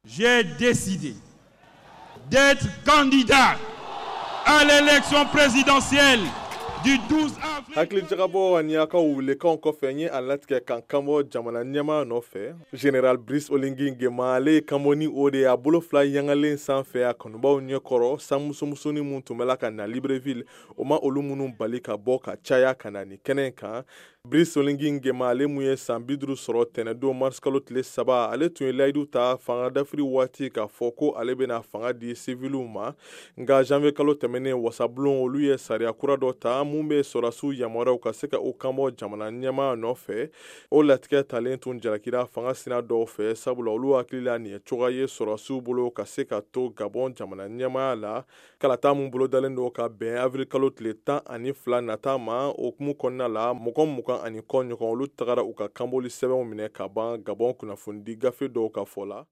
J'ai décidé d'être candidat à l'élection présidentielle du 12 avril. Hakilijagabɔ ani a ka welekanw kɔfɛ, n ye a latigɛ kan kanbɔ jamana ɲɛmaa nɔfɛ. Général Brice Oligui Nguema, ale ye kanbɔ ni o de ye, a bolo fila yangalen sanfɛ, a kanubaw ɲɛkɔrɔ. Sanmusomusonin mun tun bɛ la ka na Libreville, o ma olu minnu bali ka bɔ ka caya ka na nin kɛnɛ kan. Brice Oligui Nguema, ale mun ye san 50 sɔrɔ tɛnɛdon marisikalo tile 3, ale tun ye layidu ta fanga dafiri waati k'a fɔ ko ale bɛna fanga di siviliw ma. Nka janvier kalo tɛmɛnen, wasabulon olu ye sariya kura dɔ ta mun bɛ sɔrɔdasiw yamaruyaw ka se ka u kanbɔ jamana ɲɛmaa nɔfɛ. O latigɛ talen tun jalakira fanga sina dɔw fɛ, sabula olu hakili la nin ye cogoya ye sɔrɔdasiw bolo ka se ka to Gabon jamana ɲɛmaaya la. Kalata mun bolodalen don ka bɛn avril kalo tile 12 nata ma, o hukumu kɔnɔna la, mɔgɔ 20 ni kɔ ɲɔgɔn, olu tagara u ka kanbɔli sɛbɛnw minɛ ka ban, Gabon kunnafonidi gafe dɔw ka fɔ la.